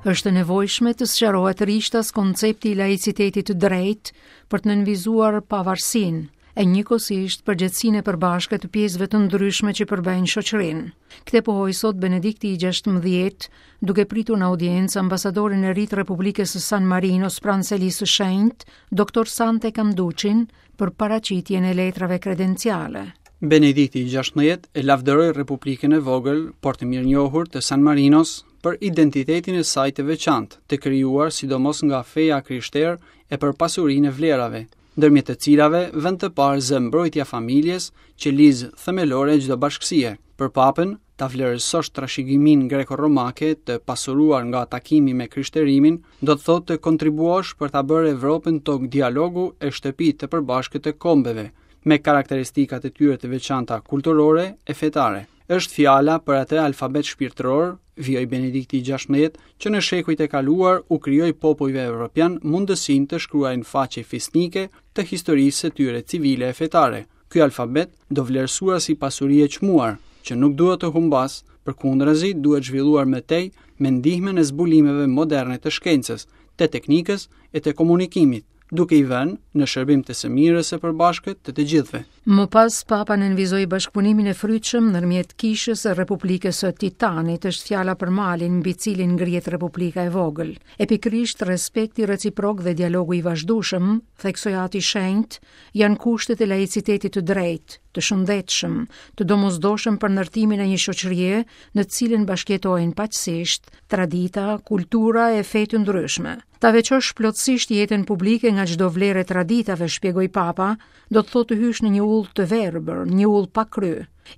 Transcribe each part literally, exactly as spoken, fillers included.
Është e nevojshme të sqarohet rishtas koncepti i laicitetit të drejtë për të nënvizuar pavarësinë e njëkohësisht përgjegjësinë e përbashkët të pjesëve të ndryshme që përbëjnë shoqërinë. Këtë pohoi sot Benedikti i gjashtëmbëdhjetë, duke pritur në audiencë ambasadorin e ri të Republikës së San Marinos pranë Selisë së Shenjtë, doktor Sante Canducin, për paraqitjen e letrave kredenciale. Benedikti i gjashtëmbëdhjetë e lavdëroi Republikën e vogël, por të mirënjohur të San Marinos për identitetin e saj të veçantë, të krijuar sidomos nga feja krishterë e për pasurinë e vlerave, ndërmjet të cilave vend të parë zë mbrojtja familjes, që lizë themelore e çdo bashkësie. Për papën, ta vlerësosh trashëgiminë greko-romake të pasuruar nga takimi me krishterimin, do të thotë të kontribuosh për ta bërë Evropën tokë dialogu e shtëpi të përbashkët të kombeve, me karakteristikat e tyre të veçanta kulturore e fetare. Është fjala për atë alfabet shpirtëror, vijoi Benedikti i gjashtëmbëdhjetë, që në shekujt e kaluar u krijoi popujve evropian mundësinë të shkruajnë faqe fisnike të historisë së tyre civile e fetare. Ky alfabet do vlerësuar si pasuri e çmuar, që nuk duhet të humbas, përkundrazi duhet zhvilluar më tej me ndihmën e zbulimeve moderne të shkencës, të teknikës e të komunikimit, duke i vënë në shërbim të së mirës së përbashkët të të gjithëve. Më pas, Papa nënvizoi bashkëpunimin e frytshëm ndërmjet Kishës së Republikës së Titanit, është fjala për malin mbi cilin ngrihet Republika e vogël. E pikërisht respekti reciprok dhe dialogu i vazhdueshëm, theksoi Ati Shenjt, janë kushtet e laicitetit të drejtë, të shëndetshëm, të domosdoshëm për ndërtimin e një shoqërie në të cilën bashkëjetojnë paqësisht tradita, kultura e fe të ndryshme. Ta veçosh plotësisht jetën publike nga çdo vlerë e traditave, shpjegoi Papa, do të thotë të hysh në një ullë të verbër, një ullë pa kry.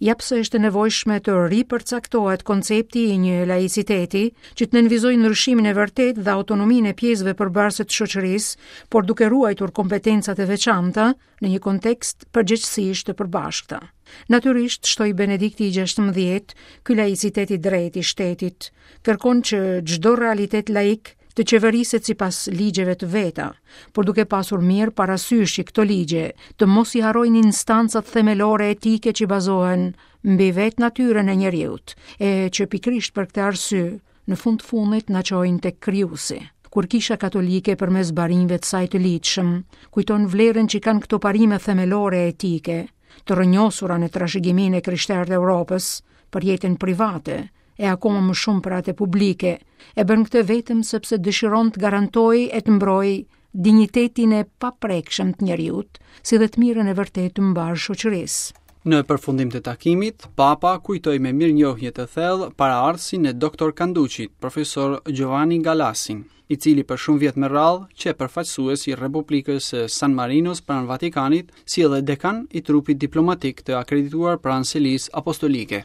Ja pse është e nevojshme të ripërcaktohet koncepti i një laiciteti që të nënvizojë ndryshimin e vërtetë dhe autonominë e pjesëve përbërëse të shoqërisë, por duke ruajtur kompetencat e veçanta në një kontekst përgjegjësish të përbashkëta. Natyrisht, shtoi Benedikti i gjashtëmbëdhjetë, ky laicitet i drejtë i shtetit kërkon që çdo realitet laik të qeveriset sipas ligjeve të veta, por duke pasur mirë parasysh që këto ligje të mos i harrojnë instancat themelore etike që bazohen mbi vetë natyrën e njeriut, e që pikërisht për këtë arsye në fund fundit na çojnë tek krijuesi. Kur Kisha Katolike përmes barinjve të saj të ligjshëm kujton vlerën që kanë këto parime themelore etike, të rrënjosura në trashëgiminë e krishterë të Europës për jetën private, e akoma më shumë për atë publike, e bën këtë vetëm sepse dëshiron të garantojë e të mbrojë dinjitetin e paprekshëm të njeriut, si dhe të mirën e vërtetë të mbar shoqërisë. Në përfundim të takimit, Papa kujtoi me mirënjohje të thellë paraardhësin e doktor Canducit, profesor Giovanni Galassin, i cili për shumë vjet me radhë qe përfaqësues i Republikës së San Marinos pranë Vatikanit, si edhe dekan i trupit diplomatik të akredituar pranë Selisë Apostolike.